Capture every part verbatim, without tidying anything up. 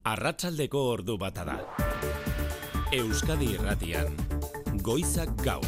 Arratsaldeko ordu bata da. Euskadi Irratian, Goizak Gaur.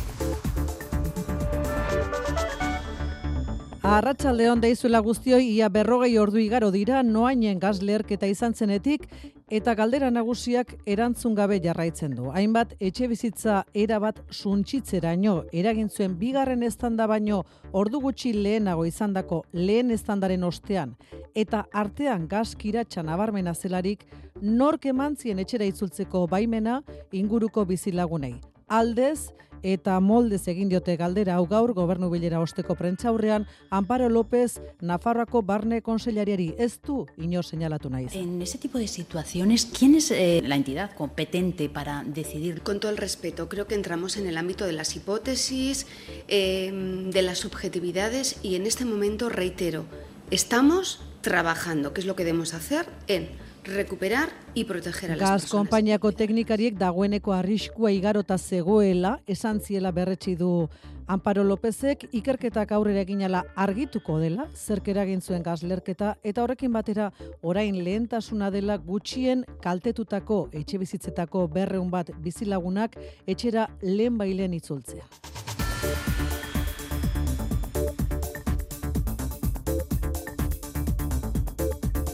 Arratsaldeon deizuela guztioi, ia berrogei ordu igaro dira noainen gaz leherketa izan zenetik eta galdera nagusiak erantzun gabe jarraitzen du. Hainbat etxe bizitza erabat suntsitzeraino eragin zuen bigarren eztanda baino ordu gutxi lehenago izandako lehen eztandaren ostean eta artean gaz kiratsa nabarmena zelarik nork emantzien etxera itzultzeko baimena inguruko bizilagunei. Aldez eta moldez egin diote galdera hau gaur gobernu bilera osteko prentsaurrean Amparo López Nafarroako barne konseilariari ez du inor seinalatu naiz. En ese tipo de situaciones, ¿quién es eh, la entidad competente para decidir? Con todo el respeto, creo que entramos en el ámbito de las hipótesis, eh, de las subjetividades y en este momento, reitero, estamos trabajando, que es lo que debemos hacer, en recuperar y proteger a las Gaz personas. konpainiako teknikariek dagoeneko arriskua igarota zegoela esan ziela berretsi du Amparo Lópezek, ikerketak aurrera eginala argituko dela, zerk eragin zuen gaz leherketa eta horrekin batera orain lehentasuna dela gutxien kaltetutako etxebizitzetako berrehun bat bizilagunak etxera lehenbailen itzultzea.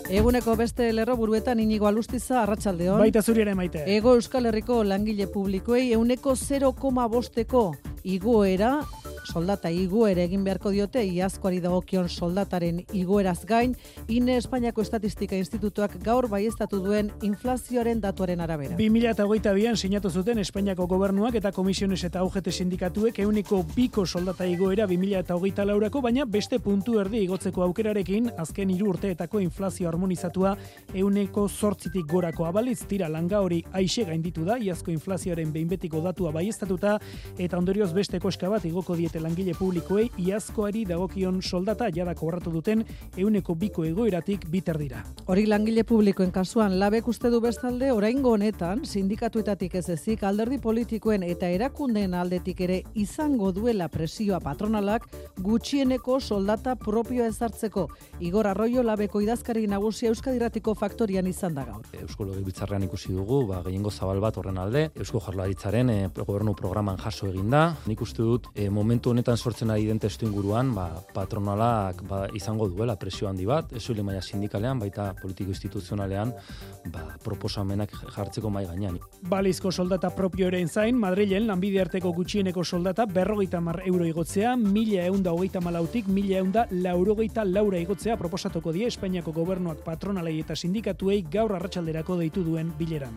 Eguneko beste lerroburuetan Inigo Alustiza, arratsaldeon. Baita zuri ere maite. Ego Euskal Herriko langile publikoei ehuneko zero koma bosteko igoera, soldata igoera egin beharko diote, iazkoari dagokion soldataren igoeraz gain, INE Espainiako Estatistika Institutuak gaur baieztatu duen inflazioaren datuaren arabera. bi mila hogeita bian sinatu zuten Espainiako gobernuak eta komisiones eta U G T sindikatuek ehuneko biko soldata igoera bi mila hogeita laurako, baina beste puntu erdi igotzeko aukerarekin azken hiru urteetako inflazio harmonizatua ehuneko zortzitik gorako abalitz tira langa hori aixe gainditu da, iazko inflazioaren behin betiko datua baieztatuta eta ondorioz beste koska bat igoko diete langile publikoei iazkoari dagokion soldata jada kobratu duten ehuneko biko egoeratik biter dira. Hori langile publikoen kasuan labek uste du bestalde oraingo honetan sindikatuetatik ez ezik alderdi politikoen eta erakundeen aldetik ere izango duela presioa patronalak gutxieneko soldata propioa ezartzeko. Igor Arroyo labeko idazkari nagusia Euskadi Irratiko faktorian izan da gaur. Eusko Legebiltzarrean ikusi dugu, ba, gehiengo zabal bat horren alde, Eusko Jaurlaritzaren e, gobernu programan jaso eginda. Nik uste dut e, momentu honetan sortzen ari den testu inguruan, ba, patronalak ba, izango duela presio handi bat, ez soilik maila sindikalean, baita politiko instituzionalean, ba, proposamenak jartzeko mai gainean. Balizko soldata propioaren zain, Madrilen lanbide arteko gutxieneko soldata berrogeita hamar euro igotzea, mila ehunda hogeita malautik, mila ehunda laurogeita laura igotzea proposatuko die Espainiako gobernuak patronalei eta sindikatuei gaur arratsalderako deitu duen bileran.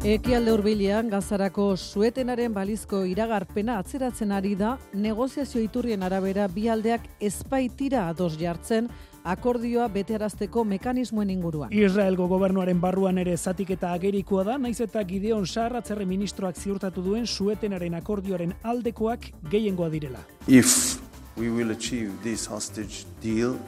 Ekialde hurbilean Gazarako suetenaren balizko iragarpena atzeratzen ari da, negoziazio iturrien arabera bi aldeak ezbaitira ados jartzen akordioa betearazteko mekanismoen inguruan. Israelgo gobernuaren barruan ere zatiketa agerikoa da, naiz eta Gideon Sa'ar atzerri ministroak ziurtatu duen suetenaren akordioaren aldekoak gehiengoa direla. If we will achieve this hostage deal,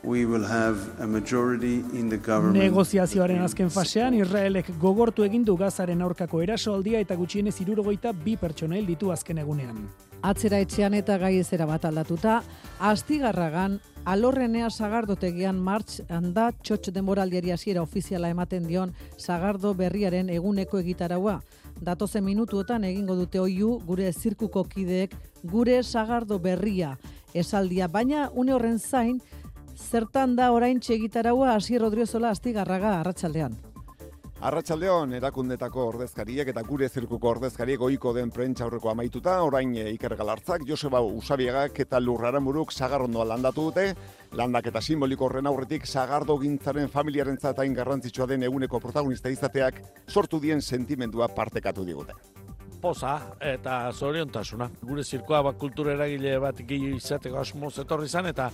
we will have a majority in the government. Negoziazioaren azken fasean Israelek gogortu egin du Gazaren aurkako erasoaldia eta gutxienez hirurogeita bi pertsona hil ditu azken egunean. Atzera etxean eta gaiezera bat aldatuta, Astigarragan Alorrenea Sagardotegian martxan da txotx denboraldiari hasiera ofiziala ematen dion Sagardo berriaren eguneko egitaraua. Datozen minutuotan egingo dute oihu gure zirkuko kideek gure Sagardo berria esaldia, baina une horren zain zertan da orain txegitaraua Asier Odriozola Astigarraga, arratsaldean. Arratsaldeon erakundetako ordezkariek eta gure zirkuko ordezkariek ohiko den prentsa aurreko amaituta, orain Iker Galartzak, Joseba Usabiagak eta Lur Aramuruk Sagarrondoa landatu dute. Landaketa simboliko horren aurretik Sagardo gintzaren familiarentzat hain garrantzitsua den eguneko protagonista izateak sortu dien sentimendua partekatu digute. Poza eta zoriontasuna. Gure zirkoa ba, kultura eragile bat gehi izateko asmoz etorri izan eta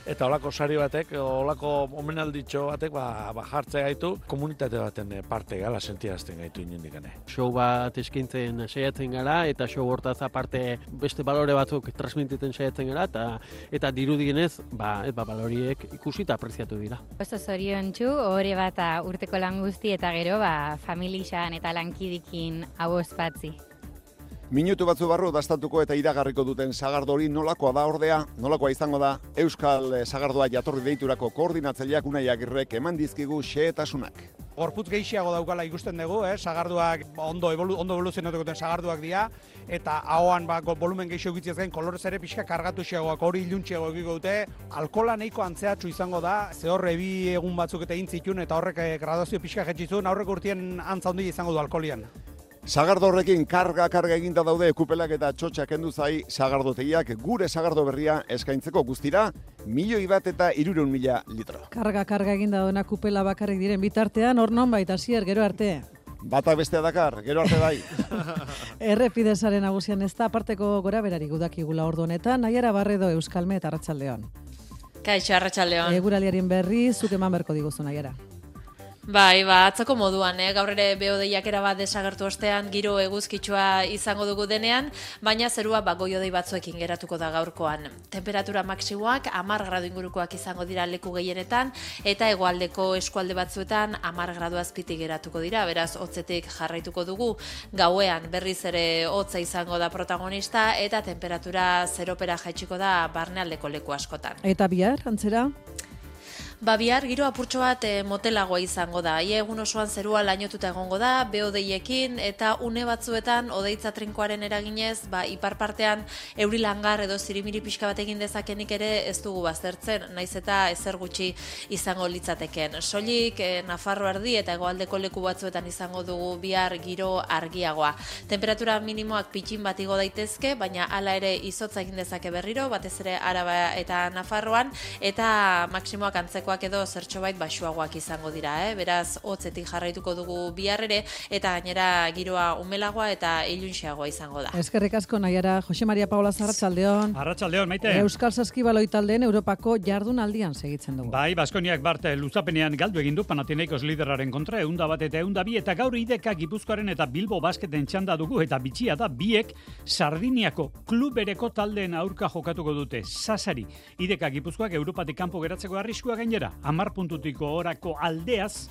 eta olako sari batek, olako omenalditxo batek ba, ba jartzea gaitu komunitate baten parte gala sentiarazten gaitu inundikane. Show bat eskintzen saiatzen gara eta show hortaz aparte beste balore batzuk transmititen saiatzen gara eta eta dirudienez ba, ba baloriek ikusi eta apreziatu dira. Oso zoriontsu, hori bat urteko lan guzti eta gero ba familixan eta lankidikin hau ospatzi. Minutu batzu barru dastatuko eta iragarriko duten sagardo hori nolakoa da ordea, nolakoa izango da Euskal Sagardoa jatorri deiturako koordinatzaileak Unai Agirrek eman dizkigu xehetasunak. Gorputz gehiago daukala ikusten dugu, eh? Sagarduak ondo, evolu, ondo evoluzionatuko duten sagarduak dira, eta ahoan ba, volumen gehiago egitziaz gain kolorez ere pixka kargatu xeagoak, hori iluntxeago egiko dute. Alkola nahiko antzeatxu izango da, ze horre bi egun batzuk eta intzitun, eta horrek graduazio pixka jetxizun, aurrek urtien antza handi izango du alkolian. Sagardo horrekin karga-karga eginda daude kupelak eta txotxak kendu zai sagardotegiak gure sagardo berria eskaintzeko guztira, milioi bat eta hirurehun mila litro. Karga-karga eginda duena kupela bakarrik diren bitartean, hor non baita zier, gero arte. Bata bestea dakar, gero arte bai. Errepidesaren nagusian ez da aparteko gora berari gudakigula ordu honetan, Naiara Barredo Euskalme eta Arratsaldeon. Kaixo, Arratsaldeon. Eguraldiaren berri, zuk eman berko diguzu, Naiara. Bai, ba, atzoko moduan, eh? Gaur ere behodeiak erabat desagertu ostean giro eguzkitsua izango dugu denean, baina zerua ba, goiodei batzuekin geratuko da gaurkoan. Temperatura maksimoak hamar gradu ingurukoak izango dira leku gehienetan, eta hegoaldeko eskualde batzuetan hamar gradu azpitik geratuko dira, beraz hotzetik jarraituko dugu. Gauean berriz ere hotza izango da protagonista, eta temperatura zeropera jaitsiko da barnealdeko leku askotan. Eta bihar, antzera? Ba, bihar giro apurtxo bat e, motelagoa izango da. Ia egun osoan zerua lainotuta egongo da, behodeiekin, eta une batzuetan odeitza trinkoaren eraginez, ba, ipar partean euri langar edo zirimiri pixka bat egin dezakenik ere ez dugu baztertzen, naiz eta ezer gutxi izango litzateken. Soilik e, Nafarro erdi eta hegoaldeko leku batzuetan izango dugu bihar giro argiagoa. Temperatura minimoak pitxin bat igo daitezke, baina hala ere izotza egin dezake berriro, batez ere Araba eta Nafarroan, eta maksimoak antzeko edo zertxobait baxuagoak izango dira, eh? Beraz, hotzetik jarraituko dugu bihar ere, eta gainera giroa umelagoa eta ilunxeagoa izango da. Eskerrik asko, Naiara. Jose Maria Paula Arratsaldeon. Arratsaldeon, Maite. Euskal Saskibaloi taldeen Europako jardunaldian segitzen dugu. Bai, Baskoniak bart luzapenean galdu egin du Panathinaikos liderraren kontra, ehunda bat eta ehunda bi, eta gaur Ideka Gipuzkoaren eta Bilbo Basketen txanda dugu, eta bitxia da biek Sardiniako klub bereko taldeen aurka jokatuko dute. Sasari, Ideka Gipuzkoak Europatik kanpo geratzeko arriskua gainera. Hamar puntutiko orako aldeaz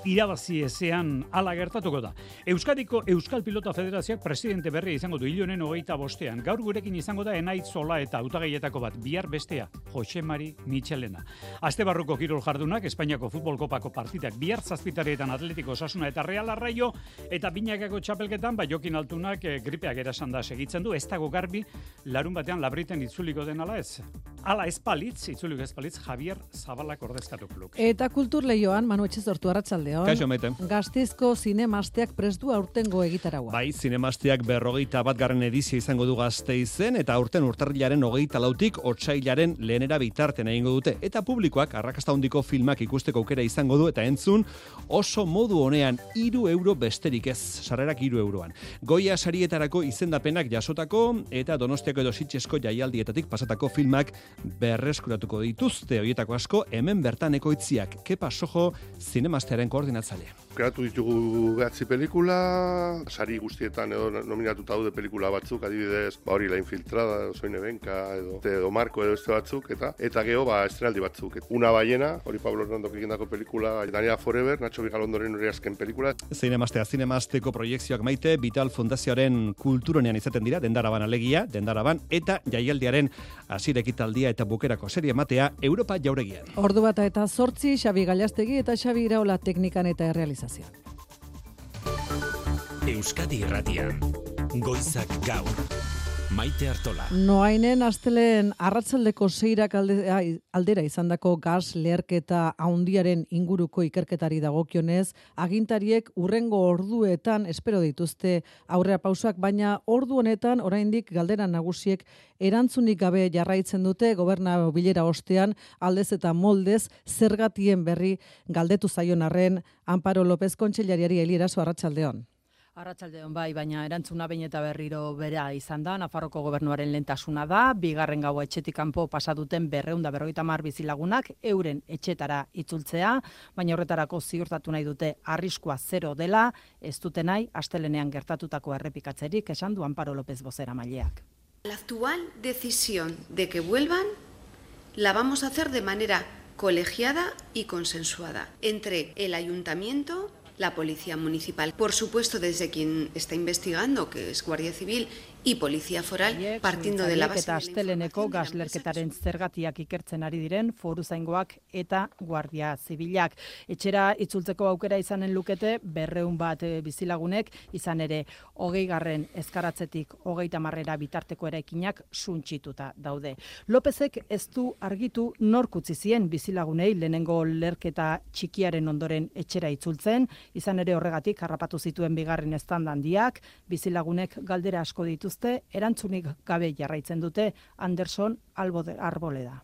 irabazi ezean ala gertatuko da. Euskadiko Euskal Pilota Federazioak presidente berria izango du hilonen hogeita bostean. Gaur gurekin izango da Enait Zola eta hautagaietako bat, bihar bestea, Jose Mari Michelena. Aste barruko kirol jardunak, Espainiako Futbol Kopako partidak bihar zazpitareetan Atletiko Osasuna eta Real Arraio, eta binakako txapelketan, ba Jokin Altunak e, gripeak erasan da segitzen du, ez dago garbi, larun batean Labriten itzuliko den ala ez. Ala ez palitz, itzuliko ez palitz, Javier Zabalak ordezkatuko luke. Eta kultur lehioan, Manu Etxezortu, Arratsaldeon. Kaixo, Maite. Gasteizko zinemasteak prestu aurtengo egitaraua. Bai, zinemasteak berrogeita bat garren edizio izango du Gasteizen, eta aurten urtarrilaren hogeita lautik otsailaren lehenera bitarten egingo dute. Eta publikoak arrakasta handiko filmak ikusteko aukera izango du, eta entzun oso modu honean hiru euro besterik ez, sarrerak hiru euroan. Goia sarietarako izendapenak jasotako, eta Donostiako edo Sitxesko jaialdietatik pasatako filmak berreskuratuko dituzte, horietako asko hemen bertan ekoitziak. Kepa Sojo zinemastearen koordinatzailea. Kreatu ditugu behatzi pelikula, sari guztietan edo nominatuta daude pelikula batzuk, adibidez, ba hori La Infiltrada, Soine Benka, edo, edo Marko edo este batzuk, eta eta geho, ba, estrenaldi batzuk. Una ballena, hori Pablo Hernandok egindako pelikula, Daniela Forever, Nacho Vigalondoren hori azken pelikula. Zinemastea, zinemasteko proiekzioak Maite, Vital Fundazioaren kulturonean izaten dira, Dendaraban alegia, Dendaraban, eta jaialdiaren hasiera ekitaldia eta bukerako serie matea Europa jauregian. Ordu bata eta zortzi, Xabi Gallastegi eta Xabi Iraola teknikan eta errealizazioan. Euskadi Irratian, Goizak Gaur, Maite Artola. Noainen asteleen arratsaldeko seirak alde, aldera izandako gas leherketa handiaren inguruko ikerketari dagokionez, agintariek urrengo orduetan espero dituzte aurrera pausak, baina ordu honetan oraindik galdera nagusiek erantzunik gabe jarraitzen dute goberna bilera ostean aldez eta moldez zergatien berri galdetu zaion arren Amparo López kontseilariari Elieraso Arratsaldeon. Arratsaldeon bai, baina erantzuna behin eta berriro bera izan da, Nafarroko gobernuaren lehentasuna da, bigarren gaua etxetik kanpo pasa duten berrehun eta berrogeita hamar bizilagunak euren etxetara itzultzea, baina horretarako ziurtatu nahi dute arriskua zero dela, ez dute nahi astelenean gertatutako errepikatzerik, esan du Amparo López bozeramaileak. La actual decisión de que vuelvan la vamos a hacer de manera colegiada y consensuada entre el ayuntamiento, la Policía Municipal. Por supuesto, desde quien está investigando, que es Guardia Civil y Policía Foral, partiendo de la base eta asteleneko gaslerketaren zergatiak ikertzen ari diren foruzaingoak eta Guardia Zibilak. Etxera itzultzeko aukera izanen lukete berreun bat bizilagunek, izan ere hogei garren ezkaratzetik hogeita marrera bitarteko eraikinak suntsituta daude. Lopezek ez du argitu nork utzi zien bizilagunei lehenengo lerketa txikiaren ondoren etxera itzultzen, izan ere horregatik harrapatu zituen bigarren eztanda handiak, bizilagunek galdera asko dituzte, erantzunik gabe jarraitzen dute Anderson Arboleda.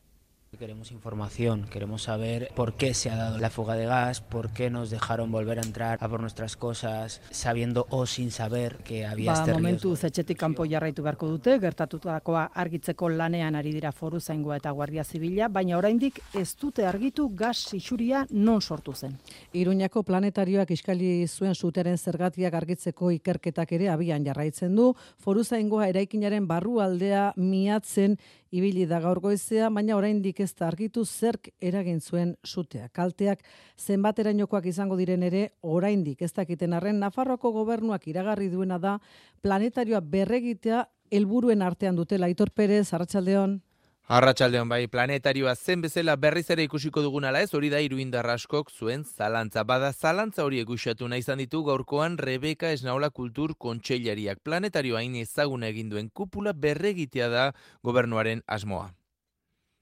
Queremos información, queremos saber por qué se ha dado la fuga de gas, por qué nos dejaron volver a entrar a por nuestras cosas, sabiendo o sin saber que había ba, este riesgo. Momentu etxetik kanpo jarraitu beharko dute, gertatutakoa argitzeko lanean ari dira foruzaingoa eta Guardia Zibila, baina oraindik ez dute argitu gas isuria non sortu zen. Iruñako planetarioak iskali zuen suteren zergatiak argitzeko ikerketak ere abian jarraitzen du, foruzaingoa eraikinaren barrualdea miatzen ibili da gaur goizea, baina oraindik ez da argitu zerk eragin zuen sutea. Kalteak zenbaterainokoak izango diren ere, oraindik ez dakiten arren, Nafarroako gobernuak iragarri duena da planetarioa berregitea helburuen artean dutela. Aitor Perez, arratsaldeon. Arratsaldeon bai, planetarioa zen bezala berriz ere ikusiko dugunala ez, hori da Iruindar askok zuen zalantza. Bada zalantza hori egusatu nahi izan ditu gaurkoan Rebeka Esnaola Kultur Kontseilariak. Planetarioa hain ezaguna egin duen kupula berregitea da gobernuaren asmoa.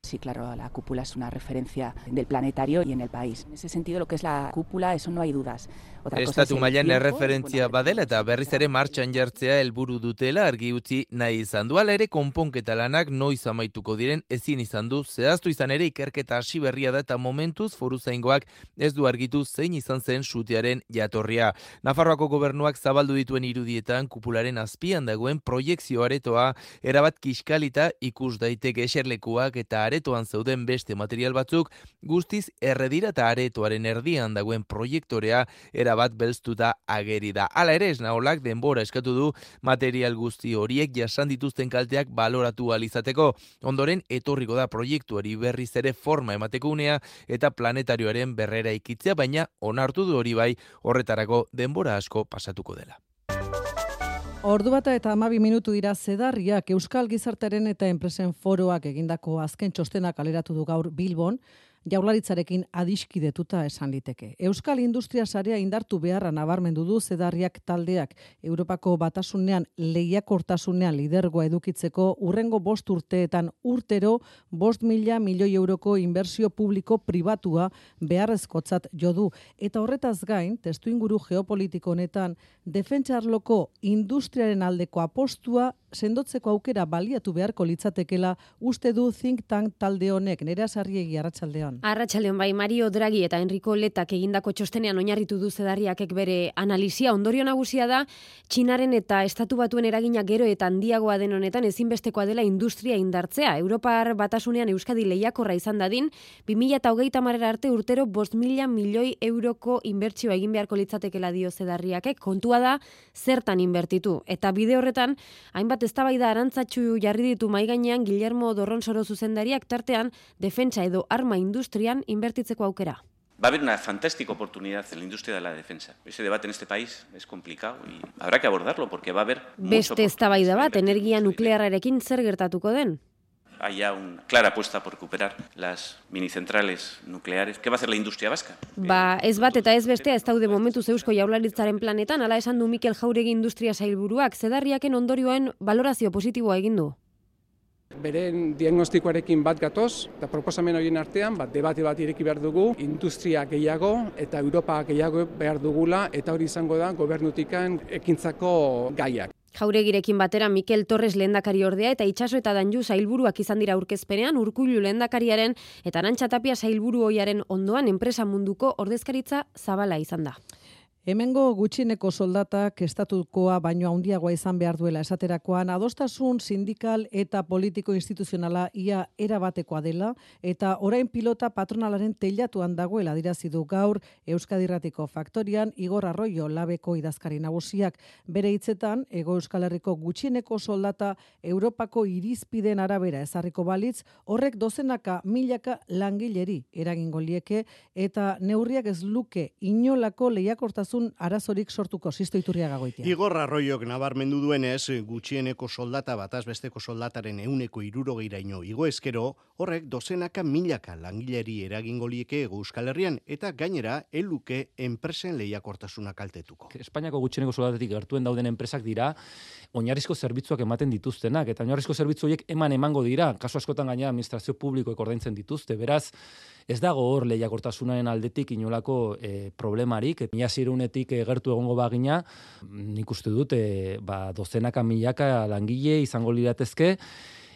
Sí, claro, la cúpula es una referencia del planetario y en el país. En ese sentido, lo que es la cúpula, eso no hay dudas. Estatu mailan erreferentzia badela eta berriz ere martxan jartzea helburu dutela argi utzi nahi izan du. Hala ere konponketa lanak noiz amaituko diren ezin izan du. Zehaztu izan ere ikerketa hasi berria da eta momentuz foruzaingoak ez du argitu zein izan zen sutearen jatorria. Nafarroako gobernuak zabaldu dituen irudietan kupularen azpian dagoen proiekzio aretoa erabat kiskalita ikus daiteke eserlekuak eta aretoan zeuden beste material batzuk guztiz erredira eta aretoaren erdian dagoen proiektorea erabat belztuta ageri da. Hala ere Esnaolak denbora eskatu du material guzti horiek jasan dituzten kalteak baloratu ahal izateko. Ondoren etorriko da proiektuari berriz ere forma emateko unea eta planetarioaren berrera ikitzea, baina onartu du hori bai horretarako denbora asko pasatuko dela. Ordu bata eta hamabi minutu dira Zedarriak Euskal Gizartearen eta Enpresen Foroak egindako azken txostenak kaleratu du gaur Bilbon, Jaurlaritzarekin adiskidetuta esan liteke. Euskal Industria Sarea indartu beharra nabarmendu du Zedarriak taldeak Europako Batasunean lehiakortasunean lidergoa edukitzeko urrengo bost urteetan urtero bost mila milioi euroko inbertsio publiko pribatua beharrezkotzat jo du. Eta horretaz gain, testuinguru geopolitiko honetan, defentsa arloko industriaren aldeko apostua sendotzeko aukera baliatu beharko litzatekela uste du think tank talde honek. Nerea Sarriegi, arratsaldeon. Arratsaldeon bai, Mario Draghi eta Enrico Letak egindako txostenean oinarritu du Zedarriakek bere analisia. Ondorio nagusia da Txinaren eta Estatu Batuen eragina gero eta handiagoa den honetan ezinbestekoa dela industria indartzea. Europar Batasunean Euskadi lehiakorra izan dadin, bi mila hogeita hamarera arte urtero bost mila milioi euroko inbertsioa egin beharko litzatekela dio Zedarriakek. Kontua da zertan inbertitu. Eta bide horretan, hainbat eztabaida arantzatsu jarri ditu mahai gainean Guillermo Dorronsoro zuzendariak, tartean defentsa edo arma industrian invertitzeko aukera. Va a haber una fantástica oportunidad en la industria de la defensa. Ese debate en este país es complicado y habrá que abordarlo porque va a haber Beste eztabaida bat energia nuklearrarekin zer gertatuko den. Hay ya una clara apuesta por recuperar las minicentrales nucleares. ¿Qué va a hacer la industria vasca? Ba, ez bat eta ez bestea ez daude momentuz Eusko Jaurlaritzaren planetan, hala esan du Mikel Jauregi industria sailburuak. Zedarriaken ondorioen valorazio positiboa egin du. Beren diagnostikoarekin bat gatoz, eta proposamen horien artean, bat debate bat ireki behar dugu, industria gehiago eta Europa gehiago behar dugula, eta hori izango da gobernutikan ekintzako gaiak. Jauregirekin batera Mikel Torres lehendakari ordea eta Itxaso eta Danju sailburuak izan dira aurkezpenean, Urkullu lehendakariaren eta Arantxa Tapia sailburu ohiaren ondoan enpresa munduko ordezkaritza zabala izan da. Hemengo gutxieneko soldatak estatukoa baino handiagoa izan behar duela esaterakoan, adostasun sindikal eta politiko instituzionala ia erabatekoa dela eta orain pilota patronalaren teilatuan dagoela adierazi du gaur Euskadi Irratiko Faktorian Igor Arroyo labeko idazkari nagusiak. Bere hitzetan, Hego Euskal Herriko gutxieneko soldata Europako irizpideen arabera ezarriko balitz, horrek dozenaka milaka langileri eragingo lieke eta neurriak ez luke inolako lehiakortasun segurtasun arazorik sortuko, Sisto Iturriaga Goitia. Igor Arroiok nabarmendu duenez, gutxieneko soldata bataz besteko soldataren ehuneko hirurogeiraino igo eskero, horrek dozenaka milaka langileri eragingo lieke Hego Euskal Herrian eta gainera eluke enpresen lehiakortasuna kaltetuko. Espainiako gutxieneko soldatetik gertuen dauden enpresak dira oinarrizko zerbitzuak ematen dituztenak eta oinarrizko zerbitzu horiek eman emango dira, kasu askotan gainera administrazio publikoek ordaintzen dituzte. Beraz, ez dago hor lehiakortasunaren aldetik inolako e, problemarik. Mila zirunetik e, gertu egongo bagina, nik uste dut e, ba, dozenaka milaka langile izango liratezke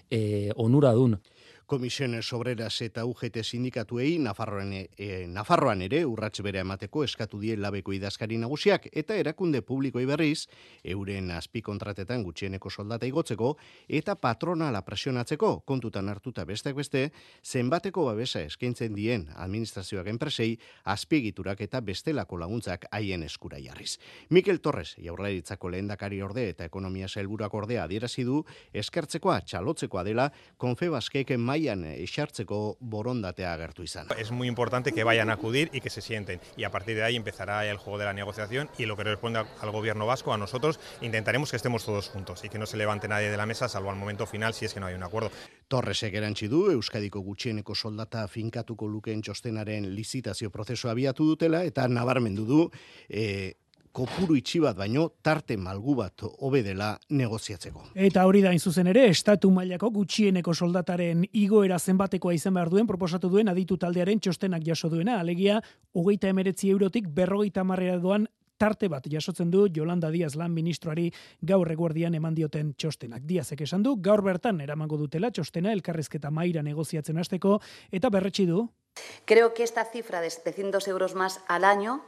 e, onuradun. Komisiones Obreras eta U G T sindikatuei Nafarroan, e, Nafarroan ere urrats bere emateko eskatu die labeko idazkari nagusiak eta erakunde publikoi berriz euren azpikontratetan gutxieneko soldata igotzeko eta patronala presionatzeko kontutan hartuta besteak beste zenbateko babesa eskaintzen dien administrazioak enpresei azpiegiturak eta bestelako laguntzak haien eskura jarriz. Mikel Torres, Jaurlaritzako lehendakari orde eta ekonomia sailburuak ordea adierazi du eskertzekoa txalotzekoa dela Confebaskek mailan esartzeko borondatea agertu izan. Es muy importante que vayan a acudir y que se sienten y a partir de ahí empezará el juego de la negociación y lo que responde al gobierno vasco, a nosotros, intentaremos que estemos todos juntos y que no se levante nadie de la mesa salvo al momento final si es que no hay un acuerdo. Torresek erantsi du Euskadiko gutxieneko soldata finkatuko lukeen txostenaren lizitazio prozesua abiatu dutela eta nabarmendu du e, kopuru itxi bat baino tarte malgu bat hobe dela negoziatzeko. Eta hori da hain zuzen ere, estatu mailako gutxieneko soldataren igoera zenbatekoa izan behar duen proposatu duen aditu taldearen txostenak jaso duena, alegia hogeita emeretzi eurotik berrogeita hamarrera doan tarte bat jasotzen du Yolanda Díaz lan ministroari gaur eguerdian eman dioten txostenak. Díazek esan du, gaur bertan eramango dutela txostena elkarrizketa mahaira negoziatzen hasteko eta berretsi du. Creo que esta cifra de setecientos euros más al año,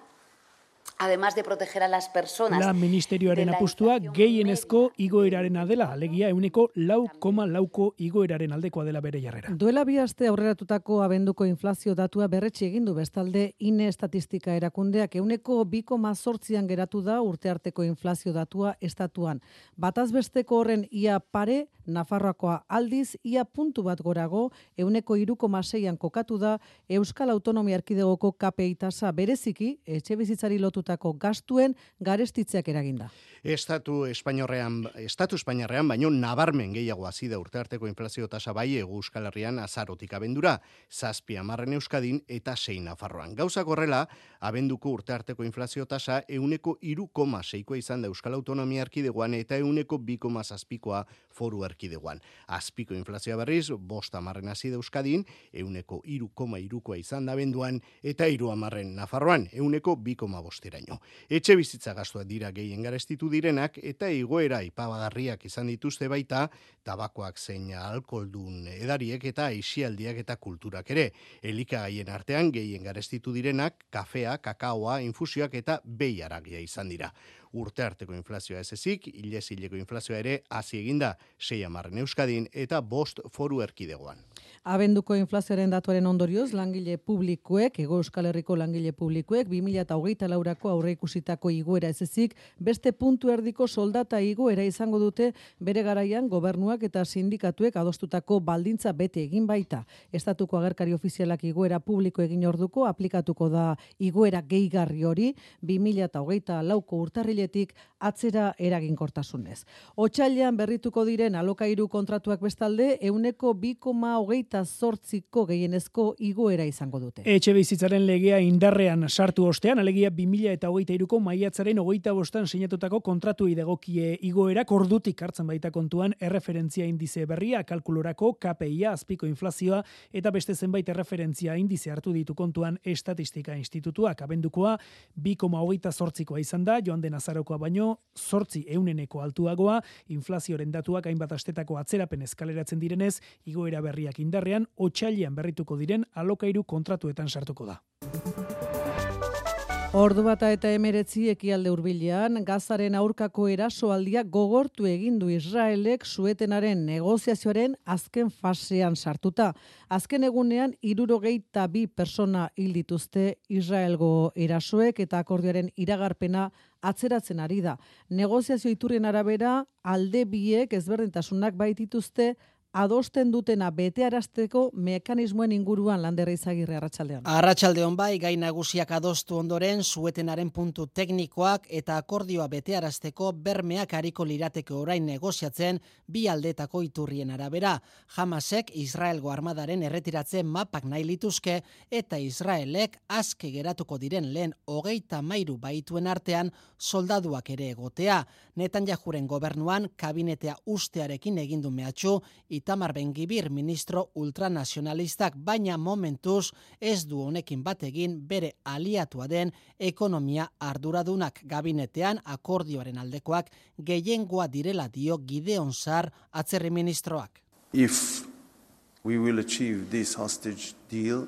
además de proteger a las personas. La ministerioaren apustua gehienezko igoerarena dela, alegia ehuneko lau koma lauko igoeraren aldekoa dela bere jarrera. Duela bi aste aurreratutako abenduko inflazio datua berretsi egin du bestalde INE estatistika erakundeak ehuneko bi koma zortzian geratu da urtearteko inflazio datua estatuan. Bataz besteko horren ia pare, Nafarroakoa aldiz ia puntu bat gorago ehuneko hiru koma seian kokatu da Euskal Autonomia Erkidegoko K P I tasa bereziki etxebizitzari lotutako gastuen garestitzeak eraginda. Estatu Espainiarrean, Estatu Espainiarrean baino nabarmen gehiago hasi da urtearteko inflazio tasa bai Hego Euskal Herrian azarotik abendura, zazpi hamarren Euskadin eta sei Nafarroan. Gauzak horrela, abenduko urtearteko inflazio tasa ehuneko hiru koma seikoa izan da Euskal Autonomia Erkidegoan eta ehuneko bi koma zazpikoa Foru Erkidegoan. Azpiko inflazioa berriz, bost hamarren hasi da Euskadin, ehuneko hiru koma hirukoa izan da abenduan eta hiru hamarren Nafarroan, ehuneko bi koma bosteraino. Etxe bizitza gastuak dira gehien garestitu direnak eta igoera ipabagarriak izan dituzte baita tabakoak zein alkoholdun edariek eta aisialdiak eta kulturak ere. Elikagaien artean gehien garestitu direnak kafea, kakaoa, infusioak eta behiaragia izan dira. Urte arteko inflazioa ez ezik, hilezileko inflazioa ere hasi eginda sei hamarren Euskadin eta bost Foru Erkidegoan. Abenduko inflazioaren datuaren ondorioz, langile publikoek, Hego Euskal Herriko langile publikoek, bi mila hogeita laurako aurreikusitako igoera ez ezik, beste puntu erdiko soldata igoera izango dute bere garaian gobernuak eta sindikatuek adostutako baldintza bete egin baita. Estatuko agerkari ofizialak igoera publiko egin orduko, aplikatuko da igoera gehigarri hori, bi mila hogeita lauko urtarriletik atzera eraginkortasunez. Otsailean berrituko diren alokairu kontratuak bestalde, ehuneko bi koma hogeita zortziko gehienezko igoera izango dute. Etxe bizitzaren legea indarrean sartu ostean, alegia bi mila hogeita hiruko maiatzaren hogeita bostan sinatutako kontratu idegokie igoera ordutik hartzen baita kontuan erreferentzia indize berria, kalkulorako K P I-a, azpiko inflazioa eta beste zenbait erreferentzia indize hartu ditu kontuan Estatistika Institutuak. Abendukoa bi koma hogeita zortzikoa izan da, joan den azarokoa baino zortzi euneneko altuagoa, inflazioaren datuak hainbat astetako atzerapen eskaleratzen direnez, igoera berriak indarrean, otsailean berrituko diren alokairu kontratuetan sartuko da. Ordu bata eta emeretzi ekialde hurbilean, Gazaren aurkako erasoaldia gogortu egin du Israelek suetenaren negoziazioaren azken fasean sartuta. Azken egunean, hirurogeita bi persona hil dituzte Israelgo erasoek eta akordioaren iragarpena atzeratzen ari da. Negoziazio iturrien arabera, alde biek ezberdintasunak baitituzte adosten dutena betearazteko mekanismoen inguruan Lander Izagirre arratsaldean. Arratsaldeon bai, gai nagusiak adostu ondoren suetenaren puntu teknikoak eta akordioa betearazteko bermeak ariko lirateke orain negoziatzen bi aldetako iturrien arabera. Hamasek Israelgo armadaren erretiratze mapak nahi lituzke eta Israelek aske geratuko diren lehen hogeita hamairu baituen artean soldaduak ere egotea. Netanyahuren gobernuan kabinetea ustearekin egin du mehatxu Itamar Ben-Gvir ministro ultranazionalistak, baina momentuz ez du honekin bat egin bere aliatua den ekonomia arduradunak. Gabinetean akordioaren aldekoak gehiengoa direla dio Gideon Sar atzerri ministroak. If we will achieve this hostage deal,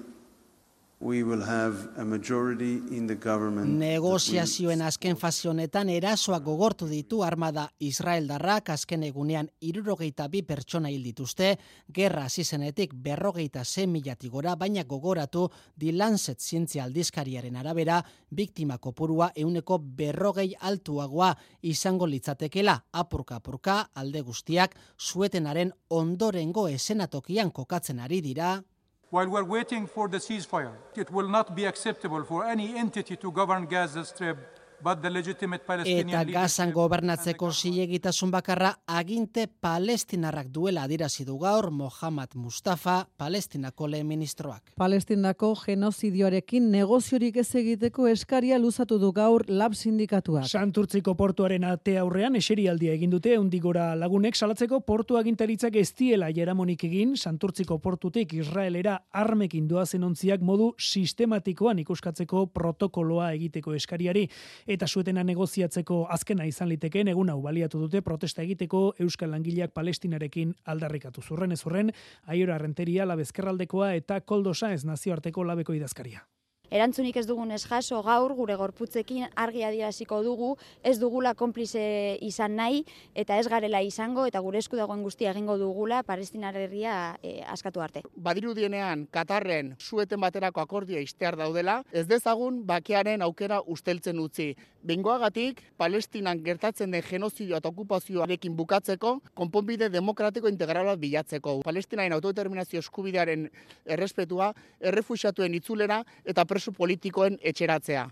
we will have a majority in the government. Negoziazioen azken fase honetan erasoak gogortu ditu armada israeldarrak, azken egunean hirurogeita bi pertsona hil dituzte, gerra hasi zenetik berrogeita sei milatik gora, baina gogoratu The Lancet zientzia aldizkariaren arabera, biktima kopurua ehuneko berrogei altuagoa izango litzatekela, apurka apurka alde guztiak suetenaren ondorengo esenatokian kokatzen ari dira. While we're waiting for the ceasefire, it will not be acceptable for any entity to govern Gaza Strip but the legitimate Palestinian Eta Gazan gobernatzeko zilegitasun bakarra aginte palestinarrak duela adierazi du gaur Mohammad Mustafa, Palestinako lehen ministroak. Palestinako genozidioarekin negoziorik ez egiteko eskaria luzatu du gaur Lab sindikatuak. Santurtziko portuaren ate aurrean eserialdia egin dute hundigora lagunek salatzeko portu agintaritzak ez diela jaramonik egin Santurtziko portutik Israelera armekin doazen ontziak modu sistematikoan ikuskatzeko protokoloa egiteko eskariari. Eta suetena negoziatzeko azkena izan litekeen egun hau baliatu dute protesta egiteko Euskal Langileak Palestinarekin aldarrikatu. Zurren ez zurren, Aiora Renteria labezkerraldekoa eta Koldosa ez nazioarteko labeko idazkaria. Erantzunik ez dugunez jaso gaur gure gorputzekin argi adieraziko dugu, ez dugula konplize izan nahi eta ez garela izango eta gure esku dagoen guztia egingo dugula Palestinar herria e, askatu arte. Badirudienean Katarren sueten baterako akordioa ixtear daudela, ez dezagun bakearen aukera usteltzen utzi. Bengoagatik Palestinan gertatzen den genozidio eta okupazioarekin bukatzeko konponbide demokratiko integrala bilatzeko. Palestinaren autodeterminazio eskubidearen errespetua, errefuxiatuen itzulera eta preso politikoen etxeratzea.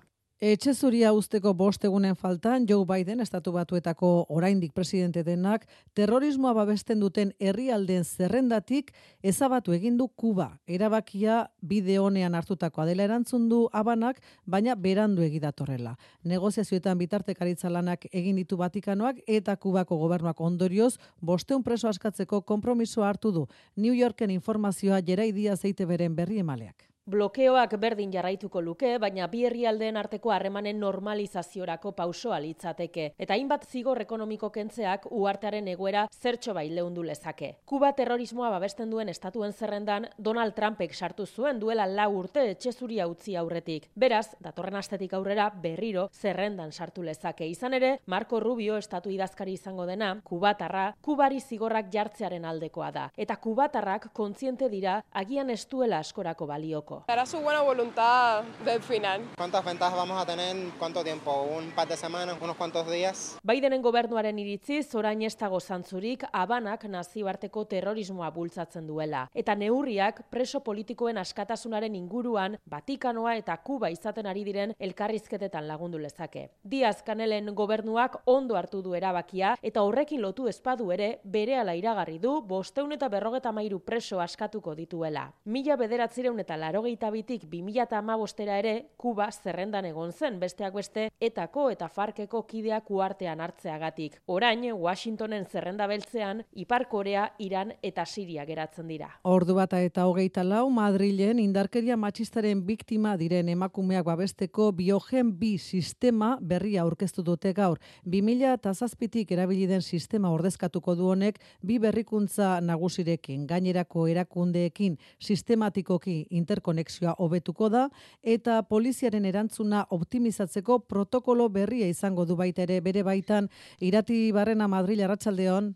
Etxe zuria usteko bost egunen faltan, Joe Biden, estatu batuetako oraindik presidente denak, terrorismoa babesten duten herrialdeen zerrendatik ezabatu egin du Kuba. Erabakia bide honean hartutakoa dela erantzun du Habanak, baina berandu egidatorrela. Negoziazioetan bitartekaritza lanak egin ditu Vatikanoak eta Kubako gobernuak ondorioz bosteun preso askatzeko konpromisoa hartu du. New Yorken informazioa Jerai Diaz E I Te Beren berri emaleak. Blokeoak berdin jarraituko luke, baina bi herrialdeen arteko harremanen normalizaziorako pausoa litzateke. Eta hainbat zigor ekonomiko kentzeak uhartearen egoera zertxo bai leundu lezake. Kuba terrorismoa babesten duen estatuen zerrendan Donald Trumpek sartu zuen duela lau urte etxe zuria utzi aurretik. Beraz, datorren astetik aurrera berriro zerrendan sartu lezake. Izan ere, Marco Rubio estatu idazkari izango dena, kubatarra, kubari zigorrak jartzearen aldekoa da. Eta kubatarrak kontziente dira agian ez duela askorako balioko. Será su buena voluntad del final. ¿Cuántas ventajas vamos a tener? ¿Cuánto tiempo? ¿Un par de semanas? ¿Unos cuantos días? Bidenen gobernuaren iritziz, orain ez dago zantzurik Habanak nazioarteko terrorismoa bultzatzen duela. Eta neurriak preso politikoen askatasunaren inguruan Vatikanoa eta Kuba izaten ari diren elkarrizketetan lagundu lezake. Diaz Canelen gobernuak ondo hartu du erabakia eta horrekin lotu espadu ere berehala iragarri du bosteun eta berrogeta hamairu preso askatuko dituela. Mila bederatzireun eta laurogeita bitik bi mila hamabostera ere Kuba zerrendan egon zen, besteak beste Etako eta Farkeko kideak uartean hartzeagatik. Orain, Washingtonen zerrenda beltzean, Ipar Korea, Iran eta Siria geratzen dira. Ordu bata eta hogeita lau, Madrilen indarkeria matxistaren biktima diren emakumeak babesteko Biogen bi sistema berria aurkeztu dute gaur. bi mila zazpitik erabili den sistema ordezkatuko du honek bi berrikuntza nagusirekin, gainerako erakundeekin sistematikoki interkonekzioa hobetuko da eta poliziaren erantzuna optimizatzeko protokolo berria izango du baita ere bere baitan. Irati Barrena, Madril, arratsaldeon.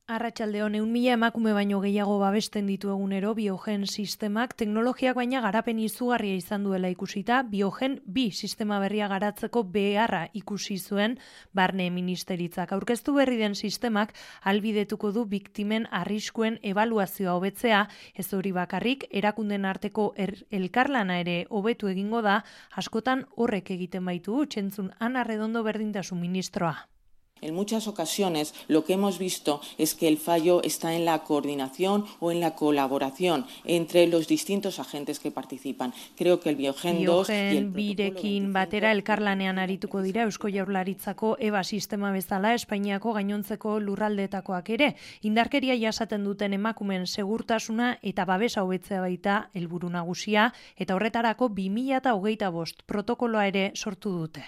Arratsaldeon, ehun mila emakume baino gehiago babesten ditu egunero Biogen sistemak, teknologiak baina garapen izugarria izan duela ikusita, Biogen bi sistema berria garatzeko beharra ikusi zuen Barne Ministeritzak. Aurkeztu berri den sistemak albidetuko du biktimen arriskuen ebaluazioa hobetzea, ez hori bakarrik, erakunden arteko er, elkarlana ere hobetu egingo da, askotan horrek egiten baitu, txentzun Ana Redondo berdintasun ministroa. En muchas ocasiones lo que hemos visto es que el fallo está en la coordinación o en la colaboración entre los distintos agentes que participan. Creo que el Biogen dos y el birekin batera elkarlanean arituko dira Eusko Jaurlaritzako E B A sistema bezala Espainiako gainontzeko lurraldetakoak ere. Indarkeria jasaten duten emakumen segurtasuna eta babesa hobetzea baita helburu nagusia eta horretarako bi mila hogeita bost protokoloa ere sortu dute.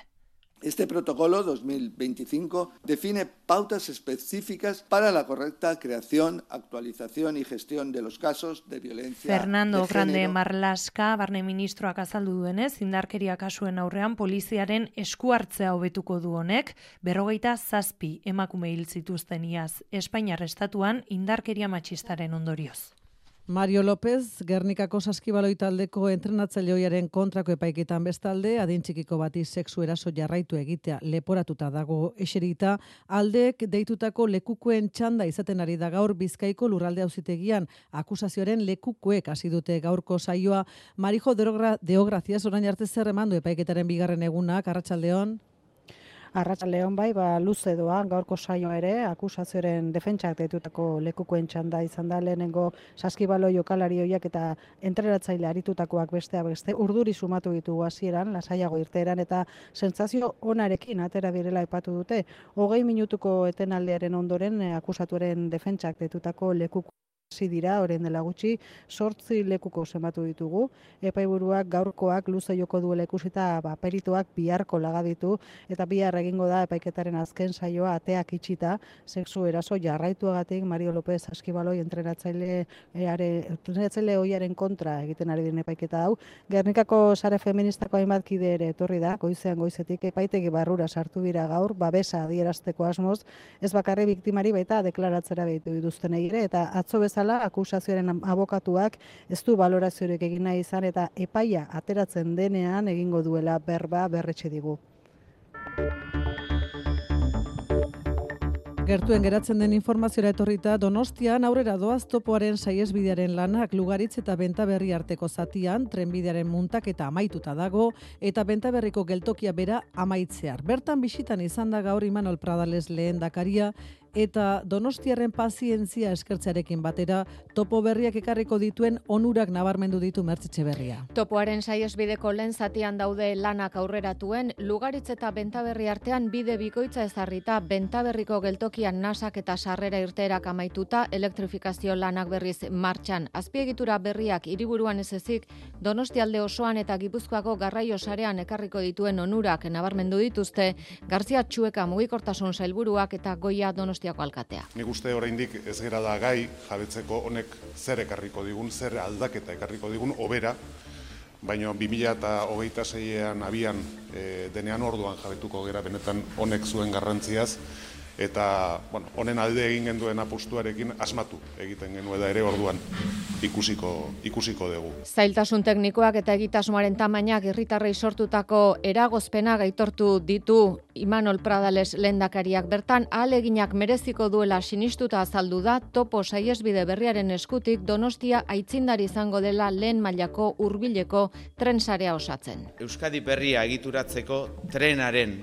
Este protocolo dos mil veinticinco define pautas específicas para la correcta creación, actualización y gestión de los casos de violencia Fernando de Grande género. Marlaska, Barne Ministroak azaldu duenez, indarkeria kasuen aurrean poliziaren esku hartzea hobetuko du honek, berrogeita zazpi emakume hil zituzten iaz Espainiar estatuan indarkeria matxistaren ondorioz. Mario López, Gernikako Saskibaloi taldeko entrenatzaile ohiaren kontrako epaiketan bestalde, adin txikiko bati sexu eraso jarraitu egitea leporatuta dago eserita, aldeek deitutako lekukoen txanda izaten ari da gaur Bizkaiko lurralde auzitegian, akusazioaren lekukoek hasi dute gaurko saioa. Marijo Deograziaz orain arte zer emandu epaiketaren bigarren egunak, arratsaldeon. Arratsaldeon bai, ba luze doa gaurko saio ere, akusazioaren defentsak deitutako lekukoen txanda izan da lehenengo Saskibaloi jokalari hoiak eta entrenatzaile aritutakoak besteak beste urduri sumatu ditugu hasieran, lasaiago irteeran eta sentsazio onarekin atera direla aipatu dute. Hogei minutuko etenaldiaren ondoren akusatuaren defentsak deitutako lekuko hasi dira, orain dela gutxi, zortzi lekuko zenbatu ditugu. Epaiburuak gaurkoak luze joko duela ikusita, ba, perituak biharko laga ditu, eta bihar egingo da epaiketaren azken saioa ateak itxita, sexu eraso jarraituagatik Mario López Saskibaloi entrenatzaile entrenatzaile ohiaren kontra egiten ari den epaiketa hau. Gernikako sare feministako hainbat kide ere etorri da, goizean goizetik epaitegi barrura sartu dira gaur, babesa adierazteko asmoz, ez bakarri biktimari baita deklaratzera behitu dituztenei ere, eta atzo bezala akusazioaren abokatuak ez du baloraziorik egin nahi izan eta epaia ateratzen denean egingo duela berba berretxe digu. Gertuen geratzen den informaziora etorrita, Donostian aurrera doaz topoaren saihesbidearen lanak Lugaritz eta Bentaberri arteko zatian, trenbidearen muntaketa amaituta dago eta Bentaberriko geltokia bera amaitzear. Bertan bisitan izan da gaur Imanol Pradales lehendakaria eta Donostiarren pazientzia eskertzearekin batera topo berriak ekarriko dituen onurak nabarmendu ditu Mertxe Berria. Topoaren saihesbideko lehen zatian daude lanak aurreratuen, Lugaritz eta Bentaberri artean bide bikoitza ezarrita, Bentaberriko geltokian nasak eta sarrera irteerak amaituta, elektrifikazio lanak berriz martxan. Azpiegitura berriak hiriburuan ez ezik, Donostialde osoan eta Gipuzkoako garraio sarean ekarriko dituen onurak nabarmendu dituzte, Garzia Txueka mugikortasun sailburuak eta Goia Donosti alkatea. Nik uste oraindik ez gera da gai jabetzeko honek zer ekarriko digun, zer aldaketa ekarriko digun, obera, baina bi mila hogeita seian abian e, denean orduan jabetuko gera benetan honek zuen garrantziaz, eta bueno, honen alde egin genduen apustuarekin asmatu egiten genuela ere orduan ikusiko, ikusiko dugu. Zailtasun teknikoak eta egitasmoaren tamainak herritarrei sortutako eragozpena gaitortu ditu Imanol Pradales lehendakariak. Bertan ahaleginak mereziko duela sinistuta azaldu da topo saihesbide berriaren eskutik Donostia aitzindari izango dela lehen mailako hurbileko tren sarea osatzen. Euskadi berria egituratzeko trenaren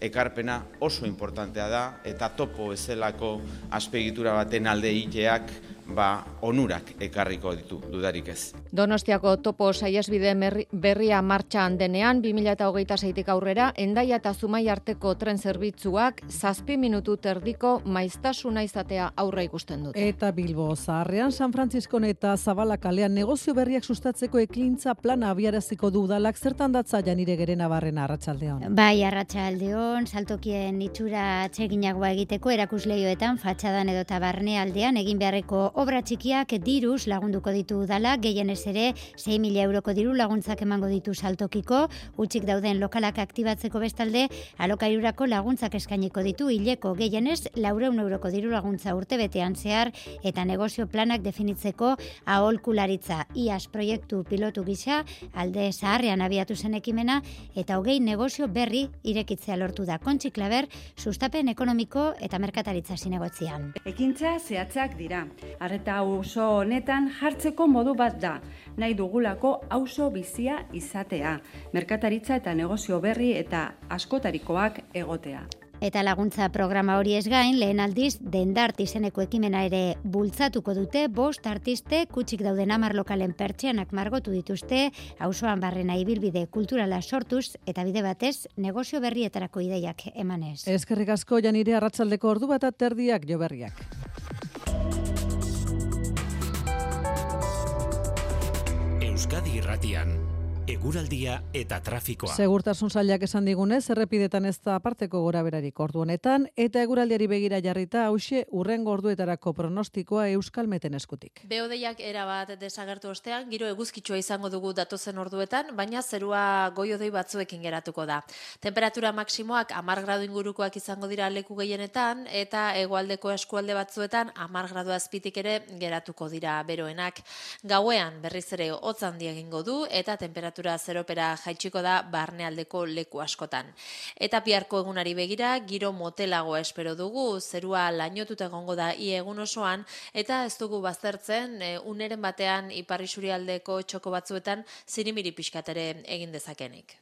ekarpena oso importantea da eta topo ezelako azpiegitura baten alde iteak ba onurak ekarriko ditu dudarik ez. Donostiako topo saihesbide berria martxan denean bi mila hogeita seitik aurrera Hendaia eta Zumai arteko tren zerbitzuak zazpi minutu terdiko maiztasuna izatea aurre ikusten dute. Eta Bilbo Zaharrean San Frantziskon eta Zabala kalean negozio berriak sustatzeko ekintza plana abiaraziko du udalak, zertan datza Janire Gerenabarrena arratsaldeon. Bai, arratsaldeon, saltokien itxura atseginagoa egiteko erakusleioetan fatxadan edota barnealdean egin beharreko obra txikiak diruz lagunduko ditu udala, gehienez ere sei mila euroko diru laguntzak emango ditu saltokiko, utzik dauden lokalak aktibatzeko bestalde, alokairurako laguntzak eskainiko ditu hileko gehienez laurehun euroko diru laguntza urtebetean zehar eta negozio planak definitzeko aholkularitza. Iaz proiektu pilotu gisa, alde zaharrean abiatu zen ekimena eta hogei negozio berri irekitzea lortu da. Kontxi Klaber, sustapen ekonomiko eta merkataritza zinegotzian. Ekintza zehatzak dira. Arreta auzo honetan jartzeko modu bat da. Nahi dugulako auzo bizia izatea. Merkataritza eta negozio berri eta askotarikoak egotea. Eta laguntza programa hori ez gain, lehen aldiz, Dendart izeneko ekimena ere bultzatuko dute, bost artiste kutsik dauden hamar lokalen pertsianak margotu dituzte, auzoan barrena ibilbide kulturala sortuz, eta bide batez, negozio berrietarako ideiak emanez. Eskerrik asko, Janire, arratsaldeko ordu bat aterdiak jo berriak. Euskadi Irratian, eguraldia eta trafikoa. Segurtasun sailak esan digunez, errepidetan ez da aparteko goraberarik ordu honetan, eta eguraldiari begira jarrita hauxe urrengo orduetarako pronostikoa Euskalmeten eskutik. Behodeiak erabat desagertu ostean, giro eguzkitsua izango dugu datozen orduetan, baina zerua goiodei batzuekin geratuko da. Temperatura maksimoak hamar gradu ingurukoak izango dira leku gehienetan, eta hegoaldeko eskualde batzuetan hamar gradu azpitik ere geratuko dira beroenak. Gauean berriz ere hotz handia egingo du, eta temperatura zeropera jaitsiko da barnealdeko leku askotan. Eta biharko egunari begira, giro motelagoa espero dugu, zerua lainotuta egongo da ia egun osoan, eta ez dugu baztertzen, e, uneren batean ipar isurialdeko txoko batzuetan zirimiri pixkat ere egin dezakenik.